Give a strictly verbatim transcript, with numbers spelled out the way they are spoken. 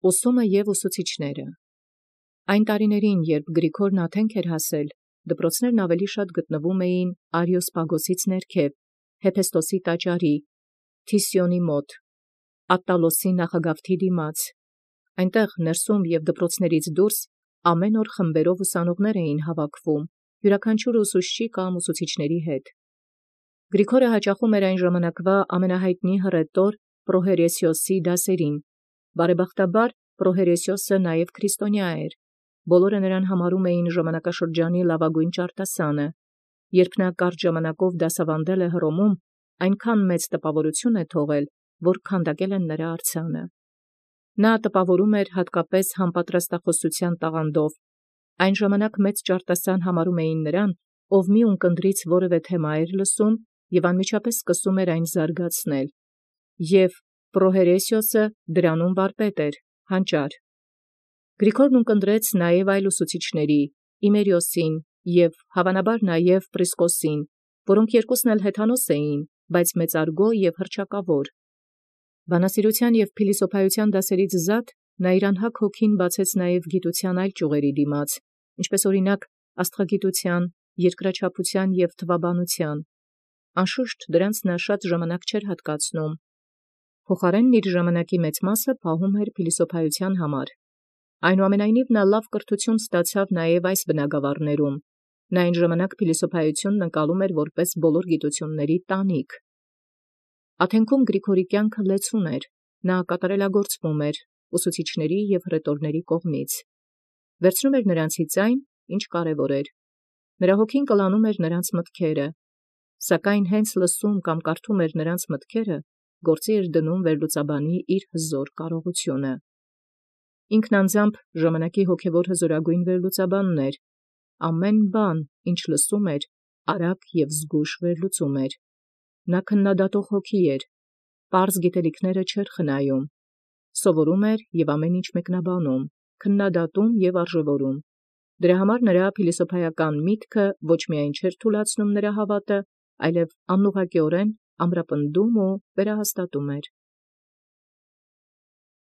Ուսումը և ուսուցիչները։ Այն տարիներին, երբ Գրիգորն յԱթենք էր հասել, դպրոցներն ավելի շատ գտնվում էին Արիոսպագոսից ներքև, Հեփեստոսի տաճարի, Թիսիոնի մոտ, Ատտալոսի նախագավթի դիմաց։ Այնտեղ ներսում և դպրոցներից դուրս ամեն օր խմբերով ուսանողներ էին հավաքվում, յուրաքանչյուր ուսուցչի կամ ուսուցիչների հետ։ Գրիգորը հաճախում էր այն ժամանակվա ամենահայտնի հռետոր Պրոհերեսիոսի դասերին։ Բարեբախտաբար Պրոհերեսիոսը նաև քրիստոնյա էր։ Բոլորը նրան համարում էին ժամանակաշրջանի լավագույն ճարտասանը։ Երբ նա կարճ ժամանակով դասավանդել է Հռոմում, այնքան մեծ տպավորություն է թողել, որ քանդակել են նրա արձանը։ Նա տպավորում էր հատկապես համապատրաստախոսության տաղանդով։ Այն ժամանակ մեծ ճարտասան համարում էին նրան, ով մի ունկնդրից որևէ թեմա էր լսում և անմիջապես սկսում էր այն զարգացնել։ Եւ Պրոհերեսիոսը դրանում վարպետ էր, հանճար։ Գրիգորն ունկնդրեց նաև այլ ուսուցիչների՝ Իմերիոսին և հավանաբար նաև Պրիսկոսին, որոնք երկուսն էլ հեթանոս էին, բայց մեծարգո և հռչակավոր։ Բանասիրութեան և փիլիսոփայութեան դասերից զատ նա իր անհագ հոգին բացեց նաև գիտութեան այլ ճյուղերի դիմաց, ինչպէս օրինակ աստղագիտութեան, երկրաչափութեան և թվաբանութեան։ Անշուշտ դրանց նա շատ ժամանակ չէր հատկացնում։ Փոխարենն իր ժամանակի մեծ մասը պահում էր փիլիսոփայութեան համար։ Այնուամենայնիվ նա լավ կրթութիւն ստացավ նաև այս բնագավառներում։ Նա այն ժամանակ փիլիսոփայութիւնն ընկալում էր որպես բոլոր գիտութիւնների տանիք։ Աթենքում Գրիգորի կյանքը լեցուն էր, նա կատարելագործվում էր ուսուցիչների և հռետորների կողմից։ Վերցնում էր նրանցից այն, ինչ կարևոր էր։ Նրա հոգին կլանում էր նրանց մտքերը, սակայն հենց լսում կամ կարդում էր նրանց մտքերը, գործի էր դնում վերլուծաբանի իր հզոր կարողությունը։ Ինքն անձամբ ժամանակի հոգևոր հզորագույն վերլուծաբանն էր։ Ամեն բան, ինչ լսում էր, արագ և զգույշ վերլուծում էր։ Նա քննադատող հոգի էր, պարզ գիտելիքները չէր խնայում, սովորում էր և ամեն ինչ մեկնաբանում, քննադատում և արժևորում։ Դրա համար նրա փիլիսոփայական միտքը ոչ միայն չէր թուլացնում նրա հավատը, այլև անուղղակիորեն ամրապնդում ու վերահաստատում էր։